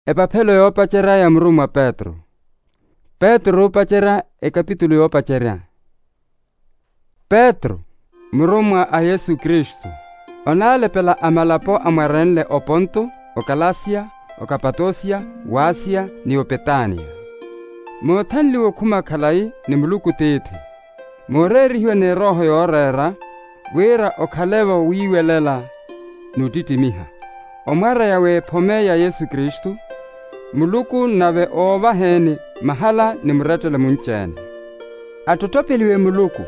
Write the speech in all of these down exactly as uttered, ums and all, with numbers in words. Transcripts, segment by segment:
Epaphelo yoopacerya ya murummwa petru. Petru oopacerya ekapitulu yoopacerya. Petru, murummwa a yesu kristu, onaalepela a malapo amwarenle oponto, okalasiya, okapatosiya, wasiya, ni opetaniya. Moothanliwa okhuma khalayi ni muluku tiithi, mooreerihiwa n'erooho yooreera, wira okhale-vo wiiwelela n'uttittimiha, omwareya w'ephome ya yesu kristu, muluku nave oovaheni mahala ni murettele munci-ene. Attottopeliwe muluku,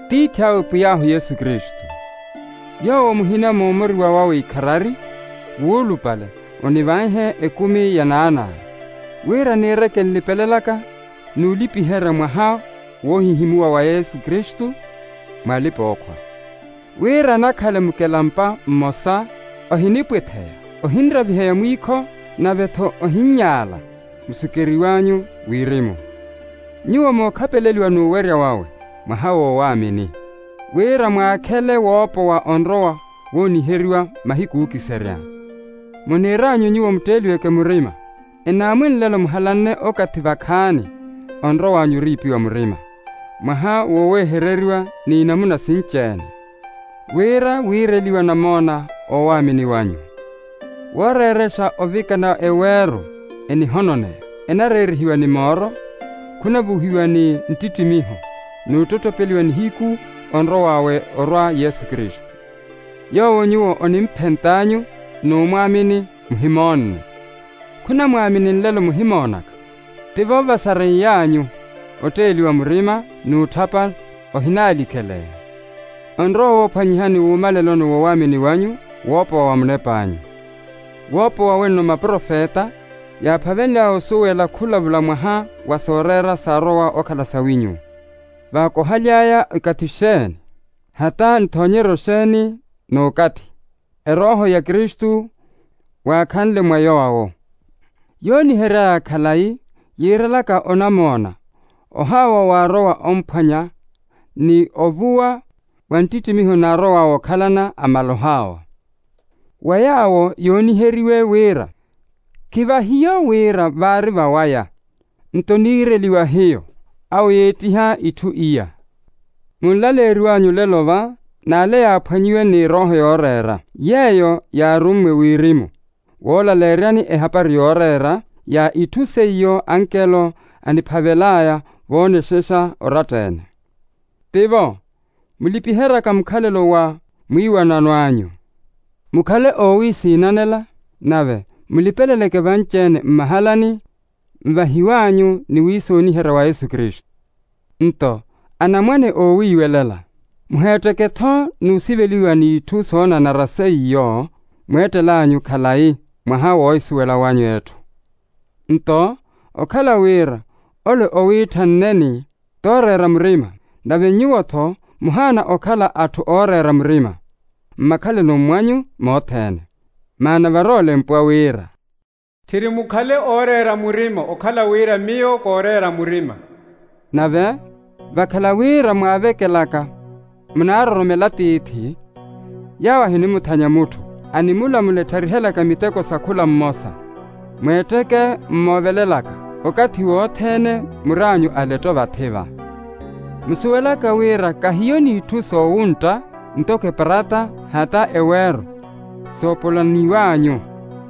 tiithi awe pwiy'ahu yesu kristu. Yoowo muhina moomoriwa wawe ikharari, wuulupale, onivanhe ekumi ya naanawe, wira niireke nlipelelaka n'ulipiherya mwaha woohihimuwa wa yesu kristu, mwalipa-ookhwa, wira nakhale mukelampa mmosa, ohinipwitheya, ohinraviheya mwiikho, nave-tho ohinnyaala musukeriw'anyu wirimu. Nyuwo mookhapeleliwa n'uwerya wawe mwaha w'owaamini, wira mwaakhele woopowa onrowa wooniheriwa mahiku ookiserya. Muniir'anyu nyuwo mutteeliweke murima, enaamwi nlelo muhalanne okathi vakhaani onrow'anyu oriipiwa murima, mwaha woowehereriwa n'inamuna sinci-ene, wira wiireliwa namoona oowaamini wanyu. Wooreerexa ovikana eweero enihononeya, enareerihiwa ni mooro, khunavuhiwa ni nttittimiho, n'uttottopeliwa nihiku onrow'awe orwa yesu kristu, yoowo nyuwo onimphent'anyu n'umwaamini muhimoonne. Khunamwaamini nlelo muhimoonaka, tivo vasareiy'anyu otteeliwa murima n'utthapa ohinaalikeleya. Onrowa woophwanyihani wuumaleloni woowaamini wanyu woopowa wa munep'anyu. Woopowa wenno maprofeta yaaphavenly'aya osuwela khulavula mwaha wa sooreera saarowa okhala sawinyu, vaakohaly'aya ikathi xeeni, hata nthoonyeryo xeeni n'ukathi, erooho ya kristu waakhanle mwa yoowo. Yoonihery'aya khalayi yiirelaka onamoona, ohaawa waarowa omphwanya, ni ovuwa wa nttittimiho naarow'awe okhalana amaloh'awe. Wa yaawo yooniheriwe wira khivahiyo wira vaari vawaya, nto niireliwa hiyo, awo yeettiha itthu iya. Munlaleeriw'anyu lelo va n'ale yaaphwanyiwe n'erooho yooreera, yeeyo yaarummwe wirimu woolaleeryani ehapari yooreera ya itthu seiyo ankelo aniphavel'aya voonexexa oratta-ene. Tivo, mulipiheryaka mukhalelo wa mwiiwanano anyu, mukhale oowisiinanela, nave mulipeleleke vanci-ene mmahalani nvahiw'anyu ni wiisooniherya wa yesu kristu. Nto anamwane oowiiwelela, muheetteke-tho n'usiveliwa n'itthu soonanara seiyo mweettel'anyu khalayi mwaha woohisuwela w'anyu etthu. Nto okhala wira ole owiitthanneni tooreera murima, nave nyuwo-tho muhaana okhala atthu ooreera murima mmakhalelo mw'anyu mothene. Maana var'olempwa wira, tthiri mukhale ooreera murima okhala wira miyo kooreera murima. Nave vakhala wira mwaavekelaka munaaroromela tiithi, yawo ahinimuthanya mutthu animulamula ettharihelaka miteko sa khula mmosa. Mweetteke mmoovelelaka okathi wothene mur'anyu aletto vathi-va. Musuwelaka wira kahiyo n'itthu soowuntta ntoko eparata hata eweero soopolaniw'anyu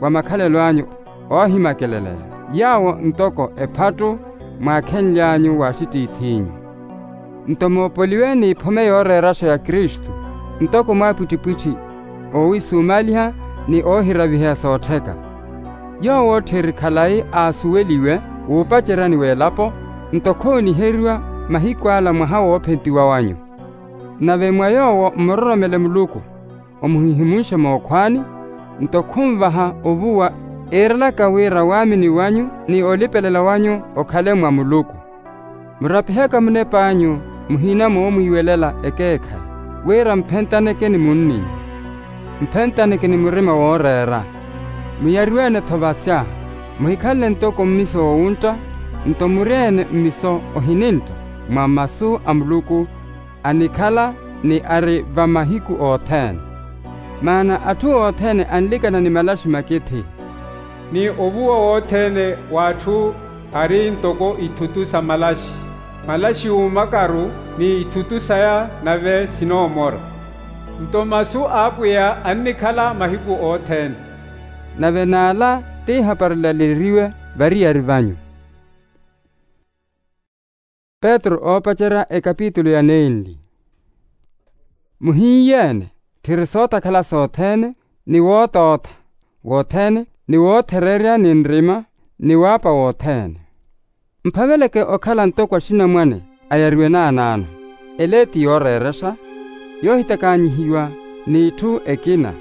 wa makhalelo anyu oohimakeleleya, yawo ntoko ephattu mwaakhenly'anyu w'axitiith'inyu. Nto moopoliwe n'iphome yooreeraxa ya kristu, ntoko mwaapwittipwitthi oowisumaaliha ni oohiraviheya soottheka. Yoowo tthiri khalayi aasuweliwe wuupaceryani w'elapo, nto khooniheriwa mahiku ala mwaha woophentiwa wanyu. Nave mwa yoowo mmuroromele muluku omuhihimunxe mookhwaani, nto khunvaha ovuwa, eerelaka wira waamini wanyu ni olipelela wanyu okhale mwa muluku. Murapihaka munep'anyu muhina moomwiiwelela ekeekhayi, wira mphentaneke ni munninyu, mphentaneke ni murima wooreera. Muyariwe-ene-tho vasya, muhikhanle ntoko mmiso woowuntta, nto muri-ene mmiso ohinintta mwa masu a muluku anikhala ni ari va mahiku othene. Maana atthu othene anlikana ni malaxi makithi. Ni ovuwa wothene w'atthu ari ntoko ithutu sa malaxi. Malaxi uumakaru ni ithutu saya nave sinoomora. Nto masu a apwiya annikhala mahiku othene. Nave n'ala ti ehapari elaleriwe variyari vanyu. Petru oopacerya ekapitulu ya nenli. Muhinyeene tthiri sootakhala sothene, ni wootootha wothene, ni woothereerya ni nrima, ni waapa wothene. Mphaveleke okhala ntoko axinamwane ayariwe naanaano. Ele ti yooreerexa, yoohitakaanyihiwa n'itthu ekina,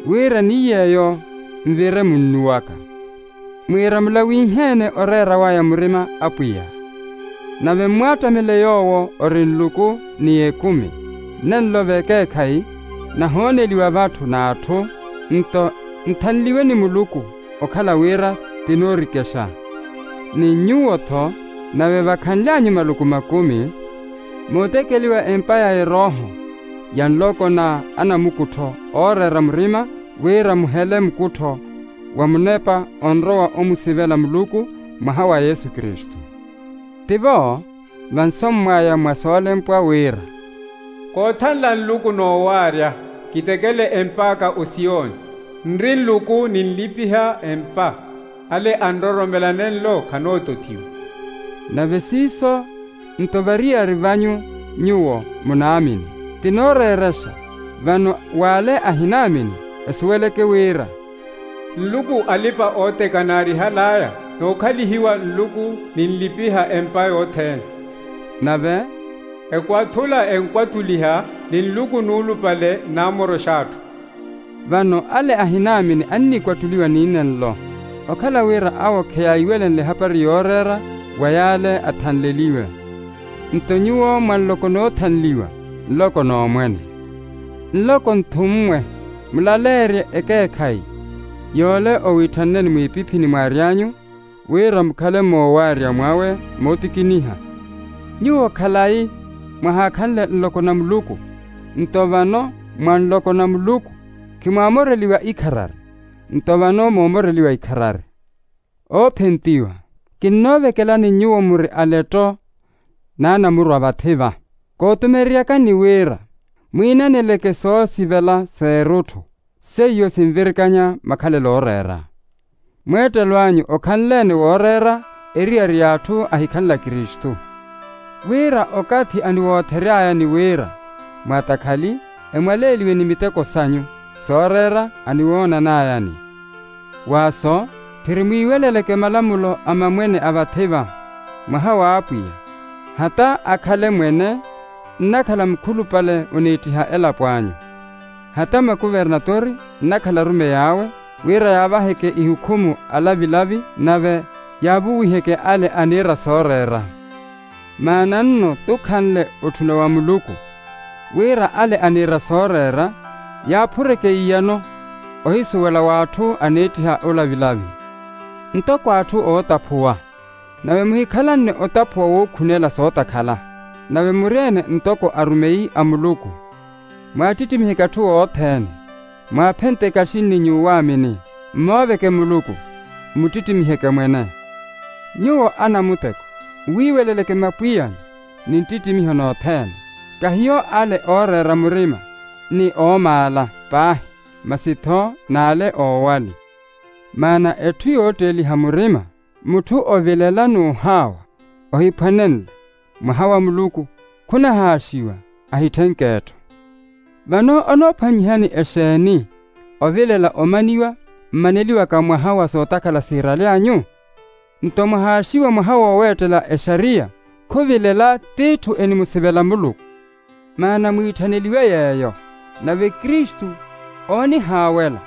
wira ni yeeyo nvire munnu waka. Mwiira mulawinheene oreera waya murima apwiya. Nave mmwaattamele yoowo ori nluku ni ekumi, nenlo v'ekeekhayi, nahooneliwa v'atthu n'atthu, nto nthanliwe ni muluku okhala wira tinoorikexa. Ni nyuwo-tho, nave vakhanlyanyu maluku makumi, mootekeliwa empa ya erooho ya nloko na anamukuttho ooreera murima, wira muhele mukuttho wa munepa onrowa omusivela muluku mwaha wa yesu kristu. Tivo vansommwaya mwa soolempwa wira, koothanla nluku noowaarya kitekele emp'aka osiyoni, nri nluku ninlipiha empa. Ale anroromela nenlo khanootothiwa. Nave siiso nto variyari vanyu nyuwo munaamini. Tinooreerexa vano w'ale ahinaamini esuweleke wira nluku alipa ooteka naarihal'aya, nookhalihiwa nluku ninlipiha empa yothene. Nave ekwathula enkwathuliha ni nluku nuulupale nnaamoroxa atthu. Vano ale ahinaamini annikwatthuliwa ni nenlo, okhala wira awo kheyaiwelenle ehapari yooreera wa yaale athanleliwe. Nto nyuwo mwa nloko noothanliwa, nloko n'omwene. Nloko nthummwe, mulaleerye ekeekhayi yoole owiitthanneni mwiipiphini mwaary'anyu, wira mukhale moowaarya mwawe mootikiniha. Nyuwo khalayi mwahaakhanle nloko na muluku, nto vano mwa nloko na muluku khimwaamoreliwa ikharari, nto vano moomoreliwa ikharari. Oophentiwa, kinnoovekelani nyuwo muri aletto n'anamurwa vathi-va. Kootumereryakani wira mwiinaneleke soosivela s'erutthu, seiyo sinvirikanya makhalelo ooreera. Mweettelo anyu okhanle-ene wooreera eriyari y'atthu ahikhanle akristu. Wira okathi aniwoothery'aya ni wira mwatakhali emwaleeliwe ni miteko sanyu sooreera aniwoonan'ayani. Waaso, tthiri mwiiweleleke malamulo a mamwene a vathi-va mwaha w'apwiya. Hata akhale mwene nnakhala mukhulupale oniittiha elapo anyu. Hata makuvernatori nnakhala arumeyi awe, wira yaavaheke ihukhumu alavilavi nave yaavuwiheke ale aniira sooreera. Maana nno tukhanle otthuna wa muluku, wira ale aniira sooreera yaaphureke iyano ohisuwela w'atthu aniittiha olavilavi. Ntoko atthu ootaphuwa, nave muhikhalanne otaphuwa wookhunela sootakhala, nave muri-ene ntoko arumeyi a muluku. Mwaattittimihe k'atthu othene, mwaaphenteke axinni nyuwaamini, mmooveke muluku, mmuttittimihe kemwene. Nyuwo anamuteko, mwiiweleleke mapwiyani ni nttittimiho nothene. Kahiyo ale ooreera murima ni oomaala paahi, masi-tho n'ale oowali. Maana etthu yootteeliha murima, mutthu ovilela n'uhaawa ohiphwanenle, mwaha wa muluku khunahaaxiwa, ahitthenk'etthu. Vano onoophwanyihani exeeni? Ovilela omaniwa mmaneliwaka mwaha wa sootakhala siirale anyu? Nto mwahaaxiwa mwaha wooweettela exariya, khuvilela t'itthu enimusivela muluku. Maana mwiitthaneliwe yeeyo, nave kristu oonihaawela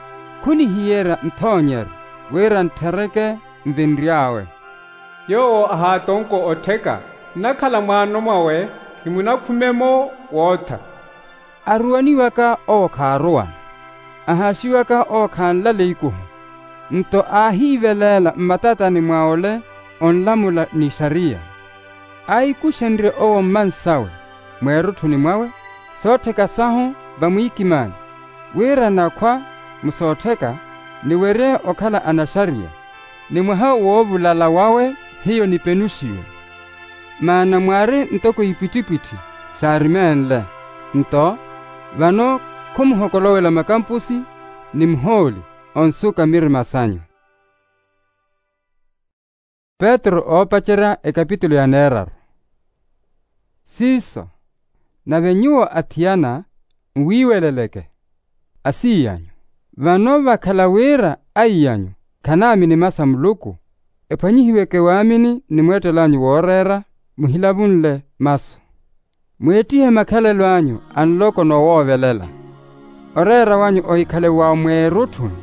khunihiyerya nthoonyeryo, wira ntthereke nvinry'awe. Yoowo ahaatonko ottheka nnakhala mwaano mwawe, khimunakhume-mo wootha. Aruwaniwaka owo khaaruwana, ahaaxiwaka owo khanlale ikuhu. Nto aahiiveleela mmatatani mwa ole onlamula n'ixariya. Aahikuxenrye owo mmansawe mweerutthuni mwawe, soottheka sahu vamwiikimaani, wira nakhwa musoottheka niwerye okhala anaxariya. ni mwaha woovulala wawe hiyo nipenuxiwe. Maana mwaari ntoko ipwittipwitthi saarimenle. Nto vano khumuhokolowela makampusi ni muhooli onsuka mirima sanyu. Petru oopacerya ekapitulo ya neeraru. Siiso, nave nyuwo athiyana nwiiweleleke asiiy'anyu. Vano vakhala wira aiy'anyu khanaamini masa muluku, ephwanyihiweke waamini ni mweettel'anyu wooreera, muhilavunle masu. Mweettihe makhalelo anyu a nloko noowoovelela. Oreera wanyu ohikhale wa mweerutthuni,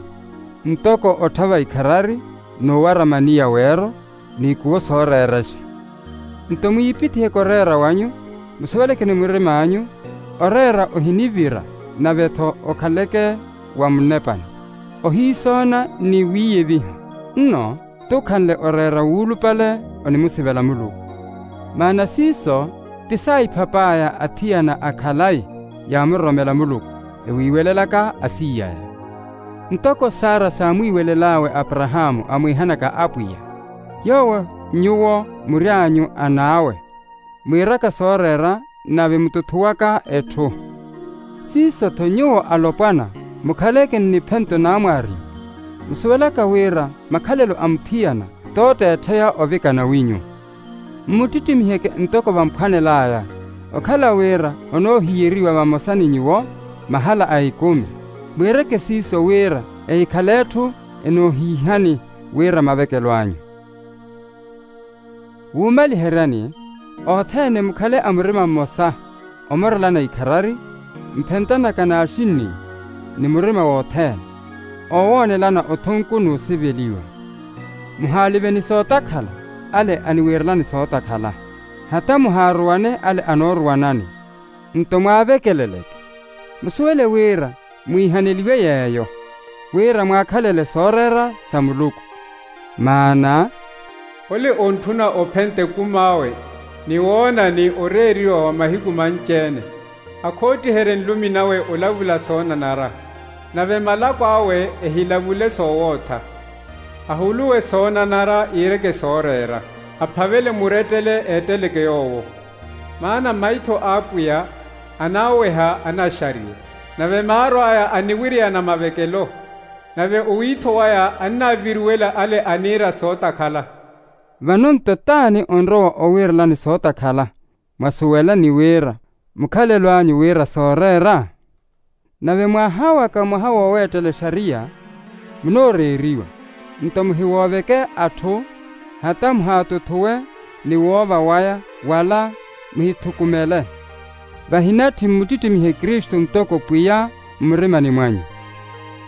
ntoko otthava ikharari n'uwara maniya weero, n'ikuwo sooreerexa. Nto mwiipithiheke oreera wanyu, musuweleke ni murim'anyu, oreera ohinivira, nave-tho okhaleke wa munepani, ohiisoona ni wiiyeviha. Nno t'ukhanle oreera wuulupale onimusivela muluku. Maana siiso ti saahiphaph'aya athiyana a khalayi yaamuroromela muluku, ewiiwelelaka asiiy'aya. Ntoko sara saamwiiwelel'awe aparahaamu amwiihanaka apwiya, yoowo nyuwo mury'anyu an'awe, mwiiraka sooreera nave mututhuwaka etthu. Siiso-tho nyuwo alopwana, mukhaleke nniphento naamwaarimu, musuwelaka wira makhalelo a muthiyana t'otteettheya ovikana winyu. Mmuttittimihyeke ntoko vamphwanel'aya, okhala wira onoohiyeriwa vamosa ni nyuwo mahala a ikumi. Mwiireke siiso wira ehikhale etthu enoohiihani wira mavekelo anyu. Wuumaliheryani, othene mukhale a murima mmosa, omorelana ikharari, mphentanaka n'axinni, ni murima wothene, oowoonelana othunku n'usiveliwa. Muhaaliveni sootakhala ale aniwiirelani sootakhala, hata muhaaruwane ale anooruwanani. Nto mwaavekeleleke, musuwele wira mwiihaneliwe yeeyo, wira mwaakhalele sooreera sa Muluku. Maana, ole ontthuna ophenta ekum'awe ni woonani oreeriwa wa mahiku manci-ene, akhoottiherye nlumi nawe olavula soonanara, nave malako awe ehilavule soowootha. Ahuluwe soonanara iireke sooreera, aphavele murettele eetteleke yoowo. Maana maitho a Apwiya anaaweha anaxariya, nave maaro aya aniwiriyana mavekelo, nave owiitho waya annaaviruwela ale aniira sootakhala. Vano nto t'ani onrowa owiirelani sootakhala? Mwasuwela ni wira mukhalelo anyu wira sooreera. Nave mwaha waka mwaha wooweettela exariya, munooreeriwa, nto muhiwooveke atthu, hata muhaatuthuwe ni woova waya, wala muhithukumele. Vahinatthi mmuttittimihe kristu ntoko pwiya mmurimani mwanyu.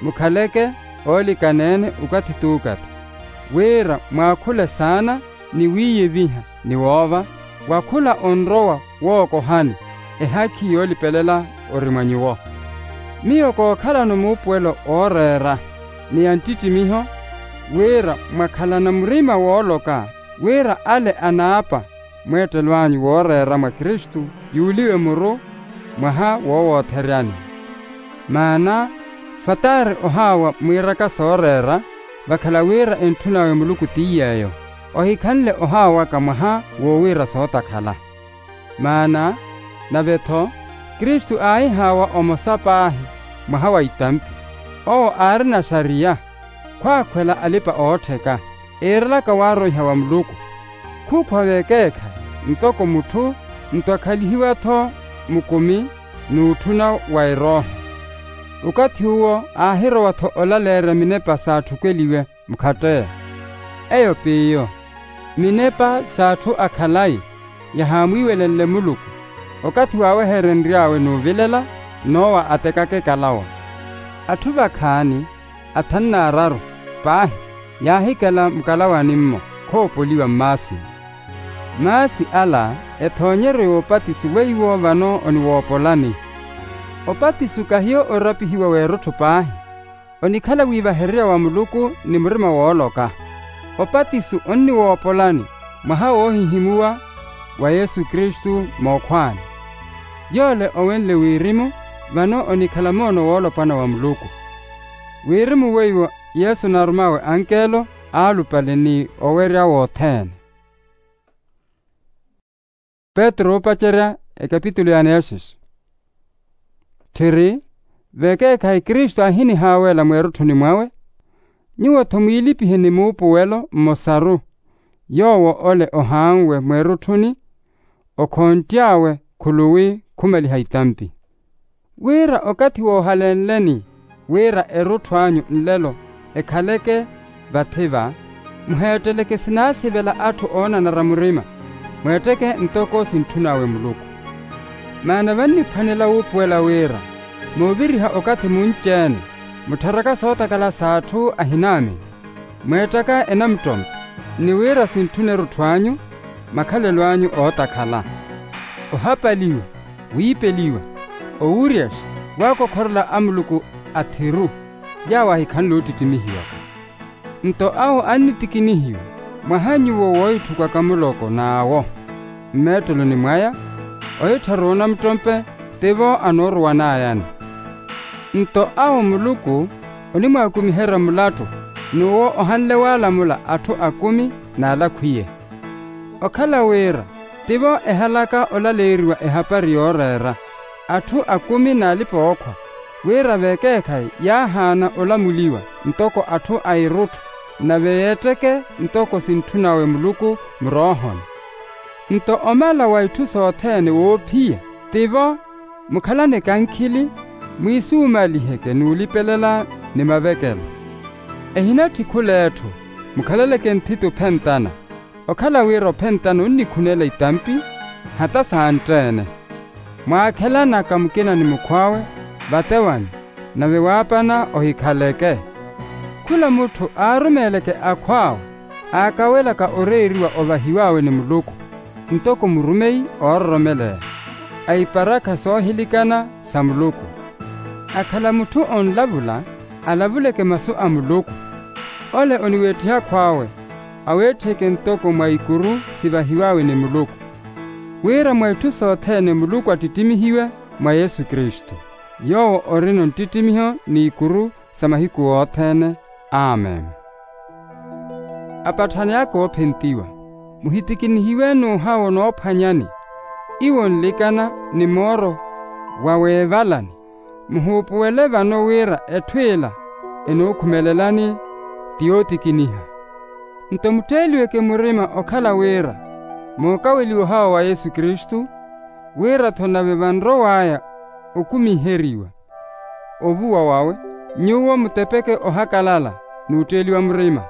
Mukhaleke oolikana-ene okathi t'ukathi, wira mwaakhule saana ni wiiyeviha ni woova, wa khula onrowa wookohani, ehakhi yoolipelela ori mwa nyuwo. Miyo kookhalano muupuwelo ooreera ni ya nttittimiho, wira mwakhalana murima wooloka wira ale anaapa mweettelo anyu wooreera mwa kristu yuuliwe muru mwaha woowootheryani. Maana fataari ohaawa mwiiraka sooreera, vakhala wira entthun'awe muluku ti yeeyo, ohikhanle ohaawaka mwaha woowiira sootakhala. Maana nave-tho kristu aahihaawa omosa paahi mwaha wa itampi, owo aarina xariya, khwaakhwela alipa-oottheka, eerelaka waaroiha wa muluku. Khuukhwa vekeekhayi ntoko mutthu, nto akhalihiwa-tho mukumi n'utthuna wa erooho. Okathi uwo aahirowa-tho olaleerya minepa s'atthu okweliwe mukhatteya. Eyo p'iyo minepa s'atthu a khalayi yahaamwiiwelenle muluku, okathi waaweherenry'awe n'uvilela, n'owa atekaka ekalawa. Atthu vakhaani athanu n'araru paahi yaahikela mukalawani-mmo khoopoliwa mmaasini. Maasi ala ethoonyeryo y'opatiso weiwo vano oniwoopolani. Opatiso kahiyo orapihiwa w'erutthu paahi, onikhala wiivahererya wa muluku ni murima wooloka. Opatiso onniwoopolani mwaha woohihimuwa wa yesu kristu mookhwaani. Yoole owenle wirimu vano onikhala moono woolopwana wa muluku. Wirimu weiwo yesu naarum'awe ankelo aalupale ni owerya wothene. Petru oopacerya ekapitulu ya neexexe. Tthiri, vekeekhayi kristu aahinihaawela mweerutthuni mwawe, nyuwo-tho mwiilipihe ni muupuwelo mmosaru, yoowo ole ohaanwe mweerutthuni, okhonttyawe khuluwi khumaliha itampi. Wira okathi woohalenleni wira erutthu anyu nlelo ekhaleke vathi-va, muheetteleke sinaasivela atthu oonanara murima, mweetteke ntoko sintthun'awe muluku. Maana vanniphwanela wuupuwela wira mooviriha okathi munci-ene muttharaka sootakhala s'atthu ahinaamini, mweettaka enamuttompe, ni wira sintthune erutthu anyu makhalelo anyu ootakhala. Ohapaliwa, wiipeliwa, owuryaxa, waakokhorela a muluku athiru, yaawo ahikhanle oottittimihiwaka. Nto awo annitikinihiwa mwaha nyuwo woohitthukwaka muloko n'awo mmeetteloni mwaya, ohittharu onamuttompe tivo anooruwan'ayani. Nto awo muluku onimwaakumiherya mulattu, n'uwo ohanle waalamula atthu akumi n'alakhwiye. Okhala wira tivo ehalaka olaleeriwa ehapari yooreera atthu akumi n'alipa-ookhwa, wira vekeekhayi yaahaana olamuliwa ntoko atthu a irutthu, nave yeetteke ntoko sintthun'awe muluku muroohoni. Nto omala wa itthu sothene woophiya tivo mukhalane kankhili, mwiisuumaliheke n'ulipelela ni mavekelo. Ehinatthi khul'etthu, mukhalaleke nthiti ophentana, okhala wira ophentana onnikhunela itampi hata santtene. Mwaakhelanaka mukina ni mukhw'awe vatewani, nave waapana ohikhaleke. Khula mutthu aarumeeleke akhw'awe aakawelaka oreeriwa ovahiw'awe ni muluku, ntoko murumeyi oororomeleya a iparakha soohilikana sa muluku. Akhala mutthu onlavula, alavuleke masu a muluku. Ole oniweettiha akhw'awe aweetthiheke ntoko mwa ikuru sivahiw'awe ni muluku, wira mwa itthu sothene muluku attittimihiwe mwa yesu kristu, yoowo orina onttittimiho n'ikuru sa mahiku othene. Amen. Apatthani aka oophentiwa, muhitikinihiwe n'uhawo noophwanyani, iwo nlikana ni mooro wa weevalani, muhuupuwele vano wira etthu ila enookhumelelani ti yootikiniha. Nto mutteeliweke murima okhala wira mookaweliwa ohawa wa yesu kristu, wira-tho nave vanrow'aya okumiheriwa ovuwa wawe, nyuwo mutepeke ohakalala n'utteeliwa murima.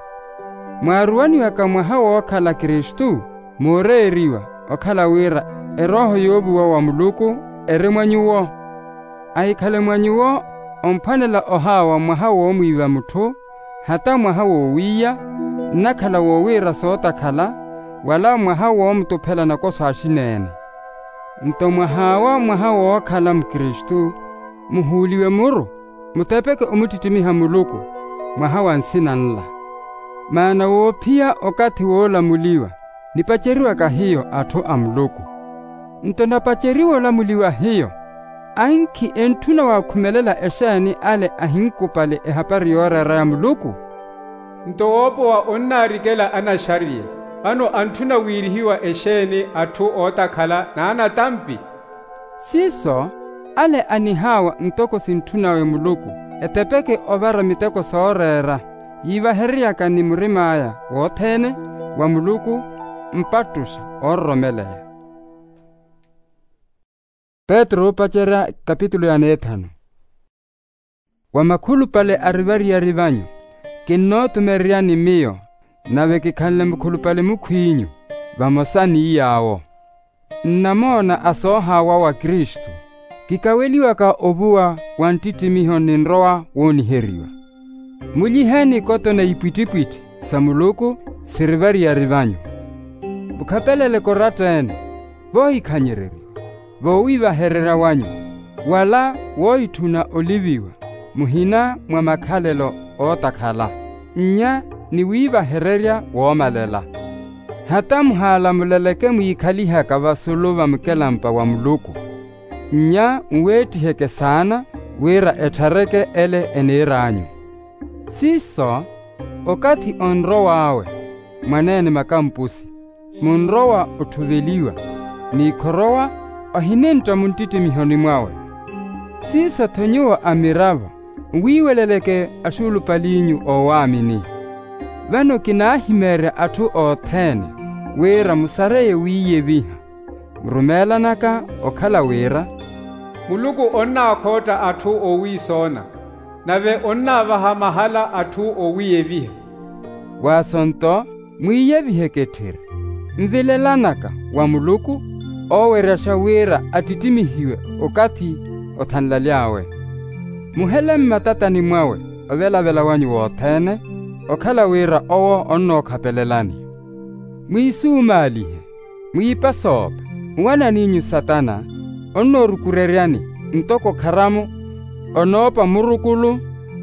Mwaaruwaniwaka mwaha wookhala kristu, mooreeriwa okhala wira erooho yoovuwa wa muluku eri mwa nyuwo. Ahikhale mwa nyuwo omphwanela ohawa mwaha woomwiiva mutthu, hata mwaha wowiiya, nnakhala wowiira sootakhala, wala mwaha woomutuphela nakoso axineene. Nto mwahaawa mwaha wookhala mukristu, muhuuliwe muru, mutepeke omuttittimiha muluku mwaha wa nsina nla. Maana woophiya okathi woolamuliwa nipaceriwaka hiyo atthu a muluku. Nto napaceriwa olamuliwa hiyo, ankhi entthuna waakhumelela exeeni ale ahinkupale ehapari yooreera ya muluku? Nto woopowa onnaarikela anaxariya, vano antthuna wiirihiwa exeeni atthu ootakhala n'anatampi? Siiso, ale anihaawa ntoko sintthun'awe muluku, etepeke ovara miteko sooreera yiivahereryaka ni murim'aya wothene wa muluku, mpattuxa oororomeleya. Petru oopacerya kapitulu ya neethanu. Wa makhulupale arivariyari vanyu, kinnootumereryani miyo, nave kikhanle mukhulupale mukhw'inyu, vamosa ni yaawo. Nnamoona a soohaawa wa kristu, kikaweliwaka ovuwa wa nttittimiho ni nrowa wooniheriwa. Mulyiheeni ikoto na ipwittipwitthi sa muluku sirivariyari vanyu. Mukhapeleleke oratta-ene, voohikhanyererya, voowiivahererya wanyu, wala woohitthuna oliviwa muhina mwa makhalelo ootakhala, nnya ni wiivahererya woomalela. Hata muhaalamuleleke mwiikhalihaka vasulu va mukelampa wa muluku, nnya nweettiheke saana wira etthareke ele eniir'anyu. Siiso, Okathi onrow'awe mwaneene makampusi, munrowa otthuveliwa, n'ikhorowa ohinintta muntittimihoni mwawe. Siiso-tho nyuwo amiravo nwiiweleleke axuulupali'inyu oowaamini. Vano kinaahimeerya atthu othene wira musareye wiiyeviha, murumeelanaka okhala wira muluku onnaakhootta atthu oowiisoona, nave onnaavaha mahala atthu oowiiyeviha. Waaso-nto mwiiyeviheke etthiri, nvilelanaka wa muluku ooweryaxa wira attittimihiwe okathi othanlaly'awe. Muhele mmatatani mwawe ovelavela wanyu wothene, okhala wira owo onnookhapelelani. Mwiisumaalihe, mwiipasoope. Nwanan'inyu satana onnoorukureryani ntoko kharamu onoopa murukulu,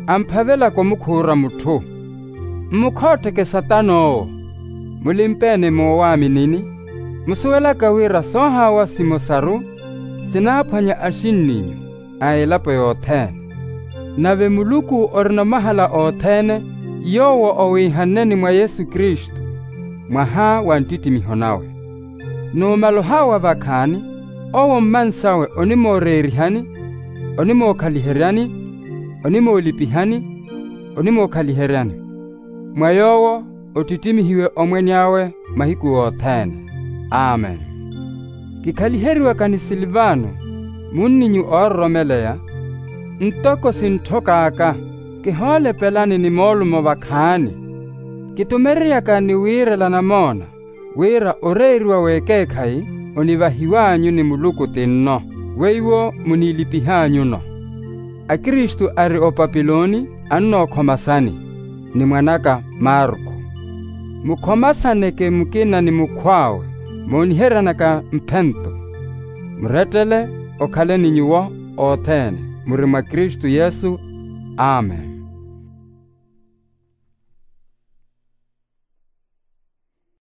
amphavelaka omukhuura mutthu. Mmukhoottheke satana owo. Mulimpeene moowaaminini, musuwelaka wira soohaawa simosaru sinaaphwanya axinninyu a elapo yothene. Nave muluku orina omahala othene, yoowo owiihanneni mwa yesu kristu, mwaha wa nttitimiho nawe. Numala ohaawa vakhaani, owo mmansawe onimooreerihani, onimookhaliheryani, onimoolipihani, onimookhaliheryani. Mwa yoowo ottittimihiwe omwene awe mahiku othene. Amen. Kikhaliheriwaka ni silvano, munninyu oororomeleya, ntoko sintthokaaka, kihoolepelani ni moolumo vakhaani. Kitumereryaka ni wiirela namoona, wira oreeriwa w'ekeekhayi onivahiw'anyu ni muluku ti nno, weiwo muniilipih'anyuno. Akristu ari opapiloni annookhomasani, ni mwan'aka marko. Mukhomasaneke mukina ni mukhw'awe, mooniheryanaka mphento. Murettele okhaleni nyuwo othene muri mwa kristu yesu. Amen.